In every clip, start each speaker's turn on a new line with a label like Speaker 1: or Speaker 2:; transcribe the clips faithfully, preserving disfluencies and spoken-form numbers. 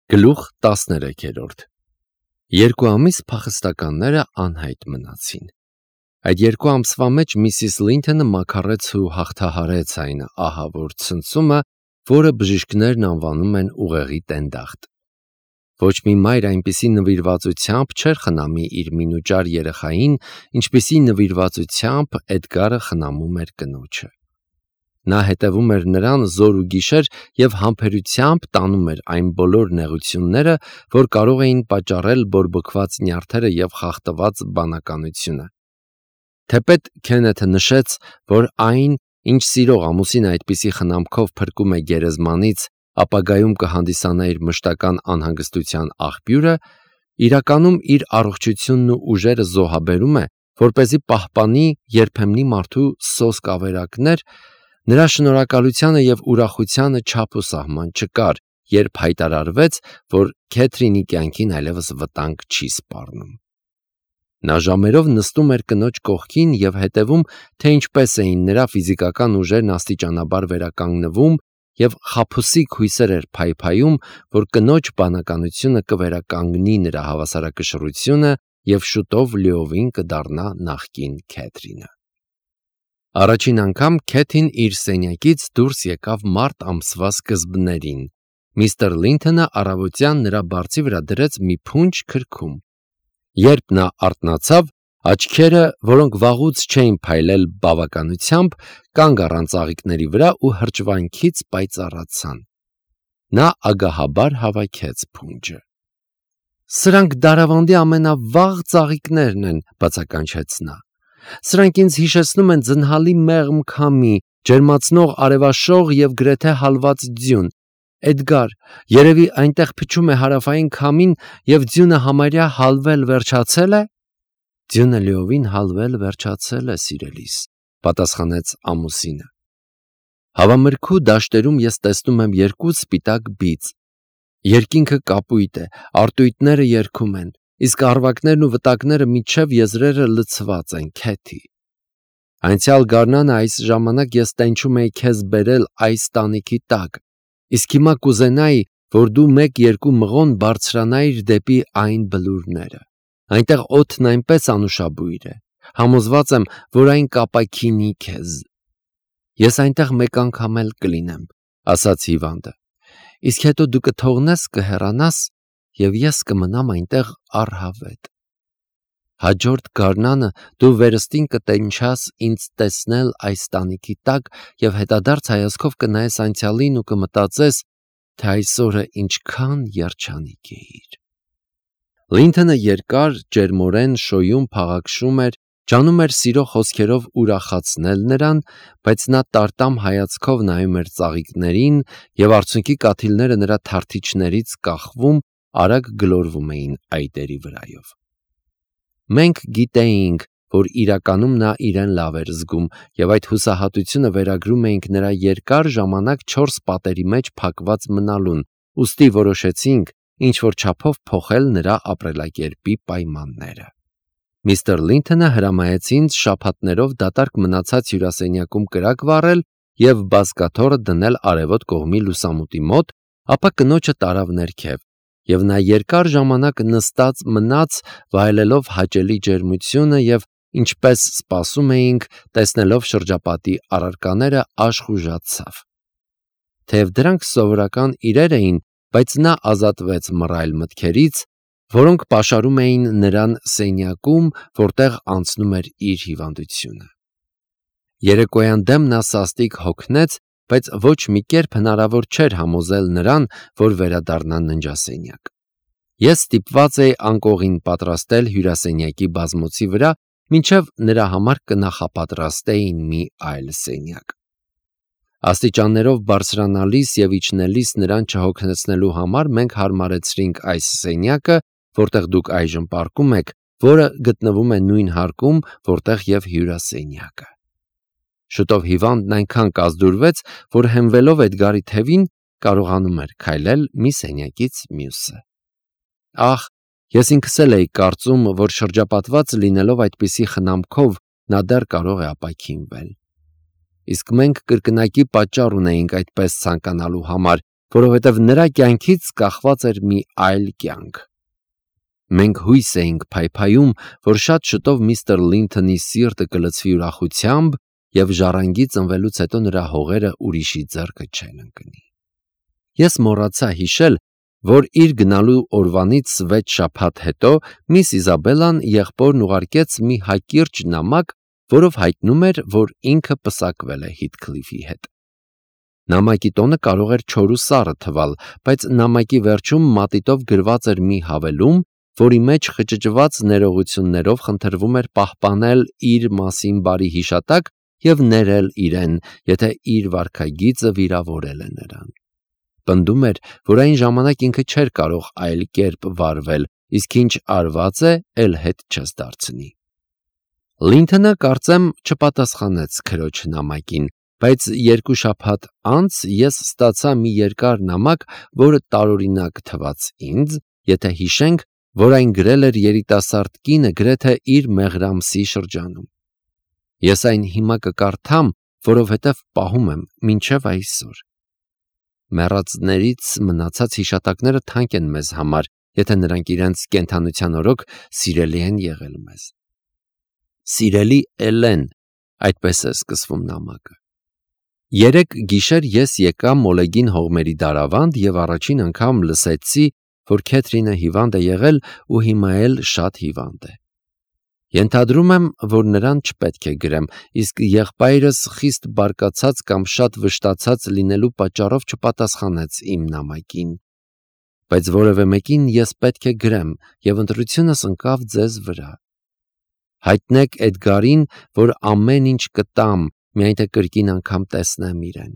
Speaker 1: Գլուխ տասներեքերորդ Երկու ամիս փախստականները անհայտ մնացին։ Այդ երկու ամսվա մեջ Միսիս Լինթոնը մաքարեց ու հաղթահարեց այն ահավոր ցնցումը, որը բժիշկներն անվանում են ուղեղի տենդախտ։ Ոչ մի մայր այնպիսի նվիրվածությամբ չէր խնամի իր մինուճար երեխային, ինչպիսի նվիրվածությամբ Էդգարը խնամում էր կնոջը։ Նա հետևում էր նրան զոր ու գիշեր և համբերությամբ տանում էր այն բոլոր նեղությունները, որ կարող էին պատճառել բորբոքված նյարդերը և խախտված բանականությունը։ Թեպետ Քենեթը նշեց, որ այն, ինչ սիրող ամուսինը այդպիսի խնամքով փրկում է գերեզմանից, ապագայում կհանդիսանա իր մշտական անհանգստության աղբյուրը, իրականում իր առողջությունն ու ուժերը զոհաբերում է, որպեսզի պահպանի երբեմնի մարդու սոսկ ավերակներ, նրա շնորհակալությանը և ուրախությանը չափ ու սահման չկար, երբ հայտարարվեց, որ Քեթրինի կյանքին այլևս վտանգ չի սպառնում։ Նա ժամերով նստում էր կնոջ կողքին և հետևում, թե ինչպես էին նրա ֆիզիկական ուժերն աստիճանաբար վերականգնվում, և խաբուսիկ հույսեր էր փայփայում, որ կնոջ բանականությունը կվերականգնի նրա հավասարակշռությունը և շուտով լիովին կդառնա նախկին Քեթրինը։ Առաջին անգամ Քեթին իր սենյակից դուրս եկավ մարտ ամսվա սկզբներին։ Միստր Լինթոնը առավոտյան նրա բարձի վրա դրեց մի փունջ քրքում։ Երբ նա արթնացավ, աչքերը, որոնք վաղուց չէին փայլել բավականությամբ, կանգ առան ծաղիկների վրա ու հրճվանքից պայծառացան։ Նա ագահաբար հավաքեց փունջը։ «Սրանք դարավանդի ամենավաղ ծաղիկներն են», բացականչեց նա։ «Սրանք ինձ հիշեցնում են ձնհալի մեղմ քամի, ջերմացնող արևաշող և գրեթե հալված ձյուն։ Էդգար, երևի այնտեղ փչում է հարավային քամին, և ձյունը համարյա հալվել վերջացե՞լ է»։ «Ձյունը լիովին հալվել վերջացել է, սիրելիս», պատասխանեց ամուսինը։ Հավամրգու դաշտերում ես տեսնում եմ երկու սպիտակ բիծ։ Երկինքը կապույտ է, արծույթները երգում են, իսկ առվակներն ու վտակները մինչև եզրերը լցված են, Քեթի։ Անցյալ գարնանը այս ժամանակ ես տենչում էի քեզ բերել այս տանիքի տակ, իսկ հիմա կուզենայի, որ դու մեկ-երկու մղոն բարձրանայիր դեպի այն բլուրները։ Այնտեղ օդն այնպես անուշաբույր է, համոզված եմ, որ այն կապաքինի քեզ։ Ես այնտեղ մեկ անգամ էլ կլինեմ, ասաց հիվանդը, իսկ հետո դու կթողնես, կհեռանաս, և ես կմնամ այնտեղ առհավետ։ Հաջորդ գարնանը դու վերստին կտենչաս ինձ տեսնել այս տանիքի տակ և հետադարձ հայացքով կնայես անցյալին ու կմտածես, թե այս օրը ինչքան երջանիկ էիր։ Լինթոնը երկար, ջերմորեն շոյուն փաղաքշում էր, ջանում էր սիրո խոսքերով ուրախացնել նրան, բայց նա տարտամ հայացքով նայում էր ծաղիկներին, և արցունքի կաթիլները նրա թարթիչներից կախվում, արագ գլորվում էին այտերի վրայով։ Մենք գիտեինք, որ իրականում նա իրեն լավ էր զգում, և այդ հուսահատությունը վերագրում էինք նրա երկար ժամանակ չորս պատերի մեջ փակված մնալուն, ուստի որոշեցինք ինչ-որ չափով փոխել նրա ապրելակերպի պայմանները։ Միստր Լինթոնը հրամայեց ինձ շաբաթներով դատարկ մնացած հյուրասենյակում կրակ վառել և բազկաթոռը դնել արևոտ կողմի լուսամուտի մոտ, ապա կնոջը տարավ ներքև, և նա երկար ժամանակ նստած մնաց, վայելելով հաճելի ջերմությունը և, ինչպես սպասում էինք, տեսնելով շրջապատի առարկաները, աշխուժացավ։ Թեև դրանք սովորական իրեր էին, բայց նա ազատվեց մռայլ մտքերից, որոնք պաշարում էին նրան սենյակում, որտեղ անցնում էր իր հիվանդությունը։ Երեկոյան դեմ նա սաստիկ հոգնեց, բայց ոչ մի կերպ հնարավոր չէր համոզել նրան, որ վերադառնա ննջասենյակ։ Ես ստիպված էի անկողին պատրաստել հյուրասենյակի բազմոցի վրա, մինչև նրա համար կնախապատրաստեին մի այլ սենյակ։ Աստիճաններով բարձրանալիս և իջնելիս նրան չհոգնեցնելու համար մենք հարմարեցրինք այս սենյակը, որտեղ դուք այժմ պառկում եք, որը գտնվում է նույն հարկում, որտեղ և հյուրասենյակը։ Շուտով հիվանդն այնքան կազդուրվեց, որ հենվելով Էդգարի թևին, կարողանում էր քայլել մի սենյակից մյուսը։ Ախ, ես ինքս էլ էի կարծում, որ շրջապատված լինելով այդպիսի խնամքով, նա դեռ կարող է ապաքինվել։ Իսկ մենք կրկնակի պատճառ ունեինք այդպես ցանկանալու համար, որովհետև նրա կյանքից կախված էր մի այլ կյանք։ Մենք հույս էինք փայփայում, որ շատ շուտով միստր Լինթոնի սիրտը կլցվի ուրախությամբ և ժառանգի ծնվելուց հետո նրա հողերը ուրիշի ձեռքը չեն ընկնի։ Ես մոռացա հիշել, որ իր գնալու օրվանից վեց շաբաթ հետո միս Իզաբելլան եղբորն ուղարկեց մի հակիրճ նամակ, որով հայտնում էր, որ ինքը պսակվել է Հիթքլիֆի հետ։ Նամակի տոնը կարող էր չոր ու սառը թվալ, բայց նամակի վերջում մատիտով գրված էր մի հավելում, որի մեջ խճճված ներողություններով խնդրվում էր պահպանել իր մասին բարի հիշատակ և ներել իրեն, եթե իր վարքագիծը վիրավորել է նրան։ Պնդում էր, որ այն ժամանակ ինքը չէր կարող այլ կերպ վարվել, իսկ ինչ արված է, էլ հետ չես դարձնի։ Լինթոնը, կարծեմ, չպատասխանեց քրոջ նամակին, բայց երկու շաբաթ անց ես ստացա մի երկար նամակ, որը տարօրինակ թվաց ինձ, եթե հիշենք, որ այն գրել էր երիտասարդ կինը գրեթե իր մեղրամսի շրջանում։ Ես այն հիմա կկարդամ, որովհետև պահում եմ մինչև այսօր։ Մեռածներից մնացած հիշատակները թանկ են մեզ համար, եթե նրանք իրենց կենդանության օրոք սիրելի են եղել մեզ։ Սիրելի Էլեն, այդպես է սկսվում նամակը։ Երեկ գիշեր ես եկա Մոլեգին հողմերի դարավանդ և առաջին անգամ լսեցի, որ Քեթրինը հիվանդ է եղել ու հիմա էլ շատ հիվանդ է։ Ենթադրում եմ, որ նրան չպետք է գրեմ, իսկ եղբայրս խիստ բարկացած կամ շատ վշտացած լինելու պատճառով չպատասխանեց իմ նամակին։ Բայց որևէ մեկին ես պետք է գրեմ, և ընտրությունս ընկավ ձեզ վրա։ Հայտնեք Էդգարին, որ ամեն ինչ կտամ, միայն թե կրկին անգամ տեսնեմ իրեն։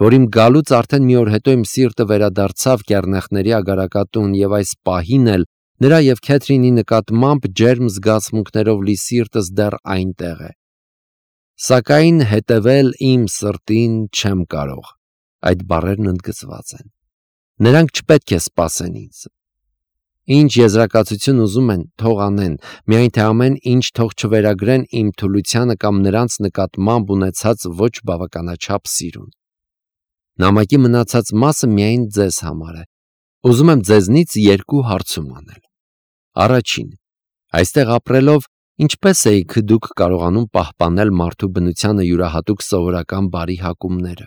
Speaker 1: Որ իմ գալուց արդեն մի օր հետո իմ սիրտը վերադարձավ կեռնեխների ագարակատուն և այս պահին էլ նրա և Քեթրինի նկատմամբ ջերմ զգացմունքներով լի սիրտս դեռ այնտեղ է։ Սակայն հետևել իմ սրտին չեմ կարող։ Այդ բառերն ընդգծված են։ Նրանք չպետք է սպասեն ինձ։ Ինչ եզրակացություն ուզում են, թող անեն, միայն թե ամեն ինչ թող չվերագրեն իմ թուլությանը կամ նրանց նկատմամբ ունեցած ոչ բավականաչափ սիրուն։ Նամակի մնացած մասը միայն ձեզ համար է։ Ուզում եմ ձեզնից երկու հարցում անել։ Առաջին. այստեղ ապրելով ինչպես էիք դուք կարողանում պահպանել մարդու բնությանը յուրահատուկ սովորական բարի հակումները։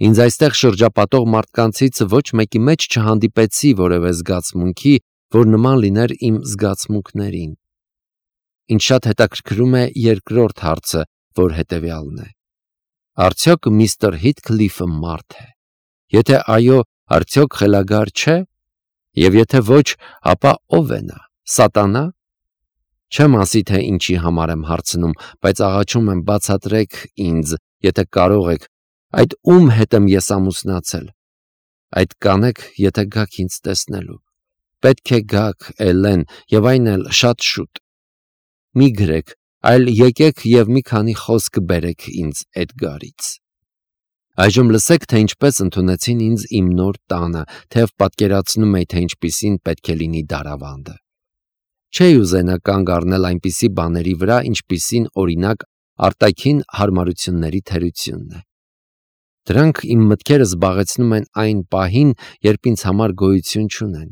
Speaker 1: Ինձ այստեղ շրջապատող մարդկանցից ոչ մեկի մեջ չհանդիպեցի որևէ զգացմունքի, որ նման լիներ իմ զգացմունքներին։ Ինձ շատ հետաքրքրում է երկրորդ հարցը, որ հետևյալն է. արդյոք միստր Հիթքլիֆը մարդ է։ Եթե այո, արդյոք խելագար չէ։ Եվ եթե ոչ, ապա ով է նա, սատանա։ Չեմ ասի, թե ինչի համար եմ հարցնում, բայց աղաչում եմ բացատրեք ինձ, եթե կարող եք, այդ ում հետ եմ ես ամուսնացել։ Այդ կանեք, եթե գաք ինձ տեսնելու։ Պետք է գաք, Էլեն, և այն էլ շատ շուտ։ Մի գրեք, այլ եկեք և մի քանի խոսք բերեք ինձ Էդգարից։ Այժմ լսեք, թե ինչպես ընդունեցին ինձ իմ նոր տանը, թեև պատկերացնում էի, թե ինչպիսին պետք է լինի դարավանդը։ Չէի ուզենա կանգ առնել այնպիսի բաների վրա, ինչպիսին օրինակ արտաքին հարմարությունների թերությունն է։ Դրանք իմ մտքերը զբաղեցնում են այն պահին, երբ ինձ համար գոյություն չունեն։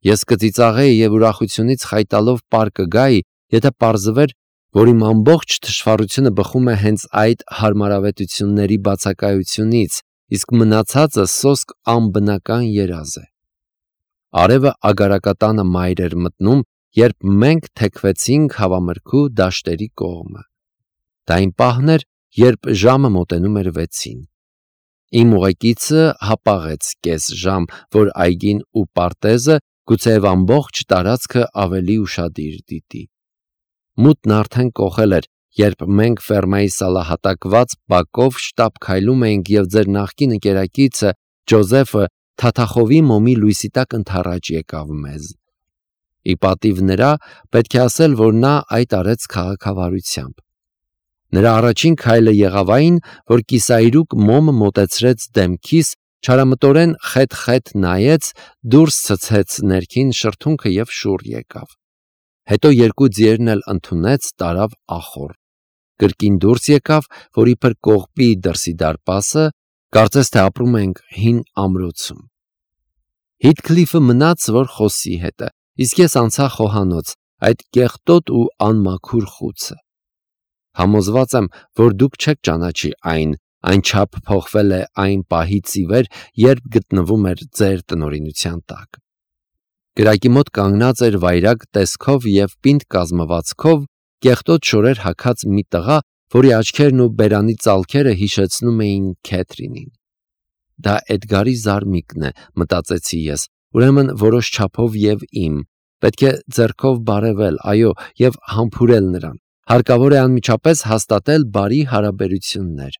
Speaker 1: Ես կծիծաղեի և ուրախությունից խայտալով պար կգայի, եթե պարզվեր, որ իմ ամբողջ թշվառությունը բխում է հենց այդ հարմարավետությունների բացակայությունից, իսկ մնացածը սոսկ անբնական երազ է։ Արևը ագարակատանը մայր էր մտնում, երբ մենք թեքվեցինք հավամրգու դաշտերի կողմը։ Դա այն պահն էր, երբ ժամը մոտենում էր վեցին։ Իմ ուղեկիցը հապաղեց կես ժամ, որ այգին ու պարտեզը, գուցեև ամբողջ տարածքը ավելի ուշադիր դիտի։ Մութն արդեն կոխել էր, երբ մենք ֆերմայի սալահատակված բակով շտապ քայլում էինք և ձեր նախկին ընկերակիցը Ջոզեֆը թաթախովի մոմի լույսի տակ ընդառաջ եկավ մեզ։ Ի պատիվ նրա, պետք է ասել, որ նա այդ արեց քաղաքավարությամբ։ Նրա առաջին քայլը եղավ այն, որ կիսայրուկ մոմը մոտեցրեց դեմքիս, չարամտորեն խետ-խետ նայեց, դուրս ցցեց ներքին շրթունքը և շուռ եկավ։ Հետո երկու ձիերն էլ ընդունեց, տարավ ախոռ։ Կրկին դուրս եկավ, որ իբր կողպի դրսի դարպասը, Կարծես թե ապրում ենք հին ամրոցում։ Հիթքլիֆը մնաց, որ խոսի հետը, իսկ ես անցա խոհանոց, այդ կեղտոտ ու անմաքուր խուցը։ Համոզված եմ, որ դուք չեք ճանաչի այն, այնչափ փոխվել է այն պահից ի վեր, երբ գտնվում էր ձեր տնօրինության տակ։ Կրակի մոտ կանգնած էր վայրագ տեսքով և պինդ կազմվածքով կեղտոտ շորեր հագած մի տղա, որի աչքերն ու բերանի ծալքերը հիշեցնում էին Քեթրինին։ Դա Էդգարի զարմիկն է, մտածեցի ես, ուրեմն որոշ չափով և իմ, պետք է ձեռքով բարևել, այո, և համբուրել նրան, հարկավոր է անմիջապես հաստատել բարի հարաբերություններ։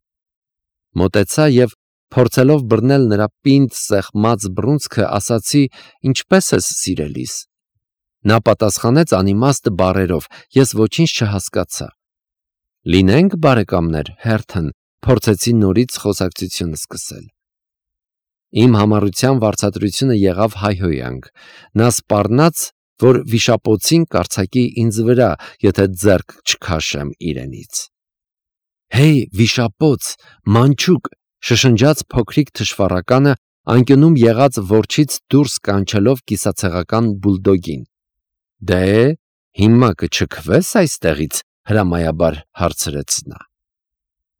Speaker 1: Մոտեցա և փորձելով բռնել նրա պինդ սեղմած բռունցքը, ասացի. «Ինչպե՞ս ես, սիրելիս»։ Նա պատասխանեց անիմաստ բառերով, ես ոչինչ չհասկացա։ «Լինենք բարեկամներ, Հերթն», փորձեցի նորից խոսակցությունը սկսել։ Իմ համառության վարձատրությունը եղավ հայհոյանք։ Նա սպառնաց, որ վիշապոցին կարձակի ինձ վրա, եթե ձեռք չքաշեմ իրենից։ «Հեյ, վիշապոց, մանչուկ», շշնջաց փոքրիկ թշվառականը, անկյունում եղած որջից դուրս կանչելով կիսացեղական բուլդոգին։ «Դե, հիմա կչքվե՞ս այստեղից», հրամայաբար հարցրեց նա։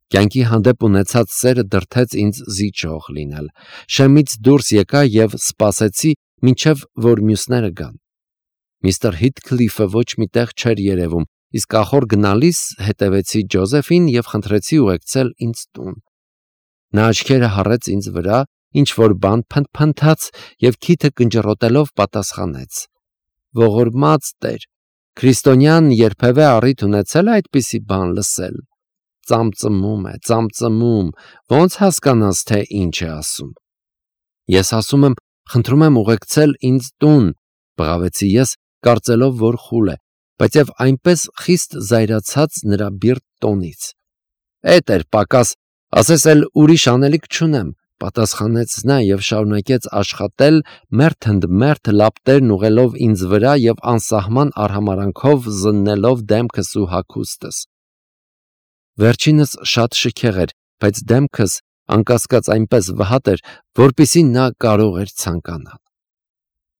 Speaker 1: Կյանքի հանդեպ ունեցած սերը դրդեց ինձ զիջող լինել։ Շեմից դուրս եկա և սպասեցի, մինչև որ մյուսները գան։ Միստր Հիթքլիֆը ոչ մի տեղ չէր երևում, իսկ ախոր գնալիս հետևեցի Ջոզեֆին և խնդրեցի ուղեկցել ինձ տուն։ Նա աչքերը հառեց ինձ վրա, ինչ-որ բան փնթփնթաց և քիթը կնճռոտելով պատասխանեց. «Ողորմած Տեր, քրիստոնյան երբևէ առիթ ունեցե՞լ է այդպիսի բան լսել։ Ծամծմում է, ծամծմում, ո՞նց հասկանաս, թե ինչ է ասում»։ «Ես ասում եմ, խնդրում եմ ուղեկցել ինձ տուն», բղավեցի ես, կարծելով, որ խուլ է, բայց և այնպես խիստ զայրացած նրա բիրտ տոնից։ «Էդ էր պակաս, ասես էլ ուրիշ անելիք չունեմ», պատասխանեց նա և շարունակեց աշխատել, մերթ ընդ մերթ լապտերն ուղղելով ինձ վրա և անսահման արհամարհանքով զննելով դեմքս ու հագուստս։ Վերջինս շատ շքեղ էր, բայց դեմքս, անկասկած, այնպես վհատ էր, որպեսզի նա կարող էր ցանկանալ։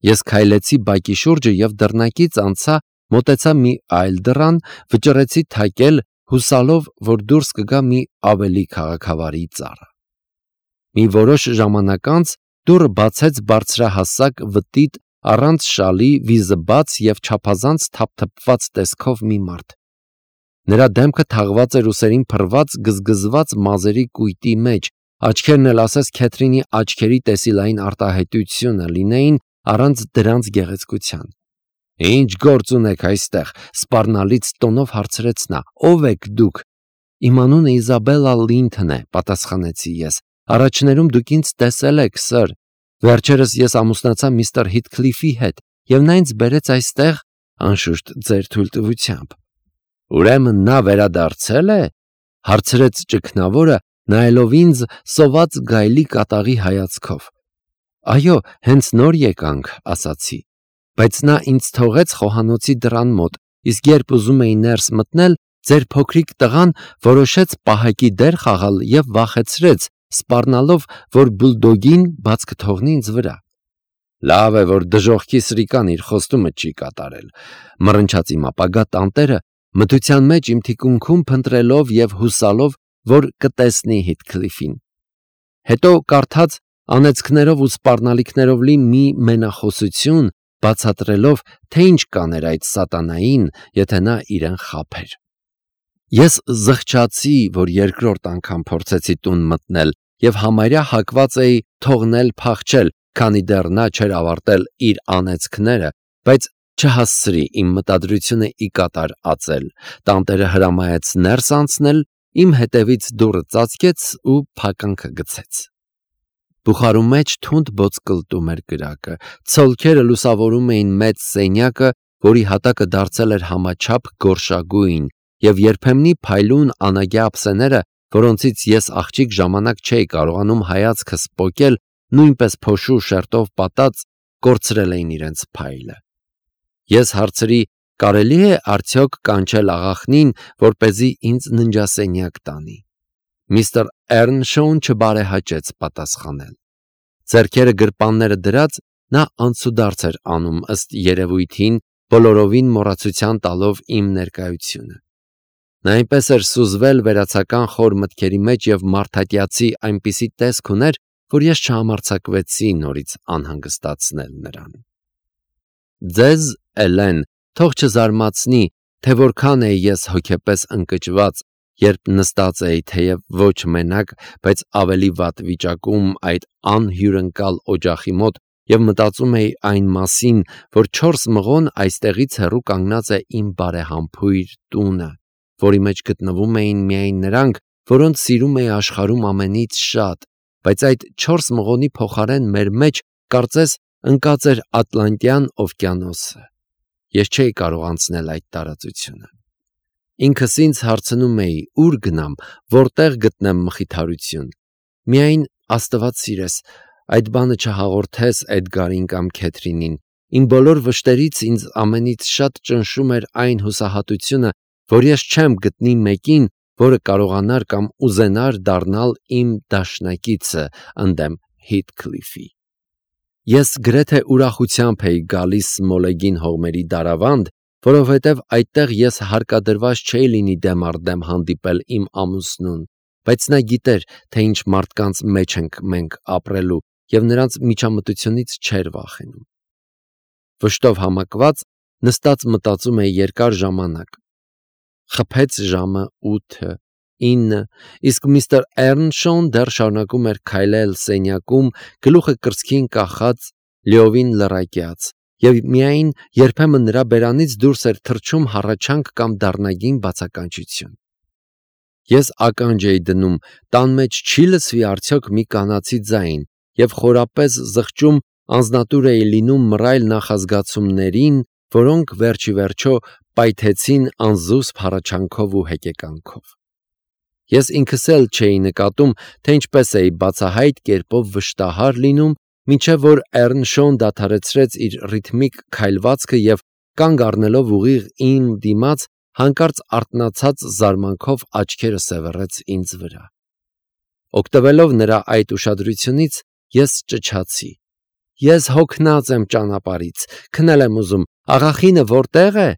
Speaker 1: Ես քայլեցի բակի շուրջը և դռնակից անցա, մոտեցա մի այլ դռան, վճռեցի թակել, հուսալով, որ դուրս կգա մի ավելի քաղաքավարի ծառա։ Մի որոշ ժամանակ անց դուռը բացեց բարձրահասակ, վտիտ, առանց շալի, վիզը բաց և չափազանց թափթփված տեսքով մի մարդ։ Նրա դեմքը թաղված էր ուսերին փռված, գզգզված մազերի կույտի մեջ, աչքերն էլ ասես Քեթրինի աչքերի տեսիլային արտահայտությունը լինեին առանց դրանց գեղեցկության։ «Ինչ գործ ունեք այստեղ», սպառնալից տոնով հարցրեց նա։ «Ո՞վ եք դուք»։ «Իմ անունը Իզաբելլա Լինթն է», պատասխանեցի ես։ «Առաջներում դուք ինձ տեսել եք, սըր։ Վերջերս ես ամուսնացա միստր Հիթքլիֆի հետ, և նա ինձ բերեց այստեղ, անշուշտ, ձեր թույլտվությամբ»։ «Ուրեմն նա վերադարձել է», հարցրեց ճգնավորը, նայելով ինձ սոված գայլի կատաղի հայացքով։ «Այո, հենց նոր եկանք», ասացի։ «Բայց նա ինձ թողեց խոհանոցի դռան մոտ, իսկ երբ ուզում էի ներս մտնել, ձեր փոքրիկ տղան որոշեց պահակի դեր խաղալ և վախեցրեց, սպառնալով, որ բուլդոգին բաց կթողնի ինձ վրա»։ «Լավ է, որ դժոխքի սրիկան իր խոստումը չի կատարել», մռնչաց իմ ապագա տանտերը, մթության մեջ իմ թիկունքում փնտրելով և հուսալով, որ կտեսնի Հիթքլիֆին։ Հետո կարդաց անեծքներով ու սպառնալիքներով լի մի մենախոսություն, բացատրելով, թե ինչ կաներ այդ սատանային, եթե նա իրեն խաբեր։ Ես զղջացի, որ երկրորդ անգամ փորձեցի տուն մտնել և համարյա հակված էի թողնել փախչել, քանի դեռ նա չէր ավարտել իր անեծքները, բայց չհասցրի իմ մտադրությունը ի կատար ածել։ Տանտերը հրամայեց ներս անցնել, իմ հետևից դուռը ծածկեց ու փականքը գցեց։ Բուխարու մեջ թունդ ոսկլտում էր կրակը, ցոլքերը լուսավորում էին մեծ սենյակը, որի հատակը դարձել էր համաչափ գորշագույն, և երբեմնի փայլուն անագյա ափսեները, որոնցից ես աղջիկ ժամանակ չէի կարողանում հայացքս պոկել, նույնպես փոշու շերտով պատած, կորցրել էին իրենց փայլը։ Ես հարցրի. «Կարելի՞ է արդյոք կանչել աղախնին, որպեսզի ինձ ննջասենյակ տանի»։ Միստր Էռնշոուն չբարեհաճեց պատասխանել։ Ձեռքերը գրպանները դրած նա անցուդարձ էր անում ըստ երևույթին, բոլորովին մոռացության տալով իմ ներկայությունը։ Նա այնպես էր սուզվել վերացական խոր մտքերի մեջ և մարդատյացի այնպիսի տեսք ուներ, որ ես չհամարձակվեցի նորից անհանգստացնել նրան։ Ձեզ, Էլեն, թող չզարմացնի, թե որքան էի ես հոգեպես ընկճված, երբ նստած էի թեև ոչ մենակ, բայց ավելի վատ վիճակում այդ անհյուրընկալ օջախի մոտ և մտածում էի այն մասին, որ չորս մղոն այստեղից հեռու կանգնած է իմ բարեհամբույր տունը, որի մեջ գտնվում էին միայն նրանք, որոնց սիրում էի աշխարհում ամենից շատ, բայց այդ չորս մղոնի փոխարեն մեր մեջ, կարծես, ընկած էր Ատլանտյան օվկիանոսը։ Ես չէի կարող անցնել այդ տարածությունը։ Ինքս ինձ հարցնում էի, ուր գնամ, որտեղ գտնեմ մխիթարություն։ Միայն Աստված սիրես, այդ բանը չհաղորդես Էդգարին կամ Քեթրինին։ Իմ բոլոր վշտերից ինձ ամենից շատ ճնշում էր այն հուսահատությունը, որ ես չեմ գտնի մեկին, որը կարողանար կամ ուզենար դառնալ իմ դաշնակիցը ընդդեմ Հիթքլիֆի։ Ես գրեթե ուրախությամբ էի գալիս Սմոլեգին հողմերի դարավանդ, որովհետև այդտեղ ես հարկադրված չէի լինի դեմ առ դեմ հանդիպել իմ ամուսնուն, բայց նա գիտեր, թե ինչ մարդկանց մեջ ենք մենք ապրելու և նրանց միջամտությունից չէր վախենում։ Վշտով համակված նստած մտածում էի երկար ժամանակ։ Խփեց ժամը ութը, ինը, իսկ միստր Էռնշոուն դեռ շարունակում էր քայլել սենյակում, գլուխը կրծքին կախած, լիովին լռակյաց, և միայն երբեմն նրա բերանից դուրս էր թռչում հառաչանք կամ դառնագին բացականչություն։ Ես ականջ էի դնում, տան մեջ չի՞ լսվի արդյոք մի կանացի ձայն, և խորապես զղջում անձնատուր էի լինում մռայլ նախազգացումներին, որոնք վերջիվերջո պայթեցին անզուսպ հառաչանքով ու հեկեկանքով։ Ես ինքս էլ չէի նկատում, թե ինչպես էի բացահայտ կերպով վշտահար լինում, մինչև որ Էռնշոուն դադարեցրեց իր ռիթմիկ քայլվածքը և կանգ առնելով ուղիղ իմ դիմաց, հանկարծ արթնացած զարմանքով աչքերը սևեռեց ինձ վրա։ Օգտվելով նրա այդ ուշադրությունից, ես ճչացի. Ես հոգնած եմ ճանապարհից, քնել եմ ուզում, աղախինը որտե՞ղ է։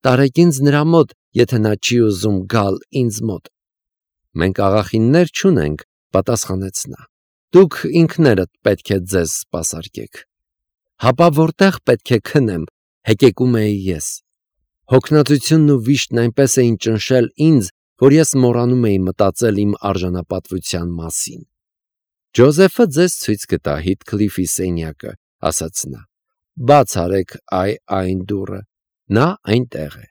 Speaker 1: Տարեք ինձ նրա մոտ, եթե նա չի ուզում գալ ինձ մոտ։ Մենք աղախիններ չունենք, պատասխանեց նա։ Դուք ինքներդ պետք է ձեզ սպասարկեք։ Հապա որտե՞ղ պետք է քնեմ, հեկեկում էի ես։ Հոգնածությունն ու վիշտն այնպես էին ճնշել ինձ, որ ես մոռանում էի մտածել իմ արժանապատվության մասին։ Ջոզեֆը ձեզ ցույց կտա Հիթքլիֆի սենյակը, ասաց նա։ Բաց արեք այ այն դուռը, նա այնտեղ է։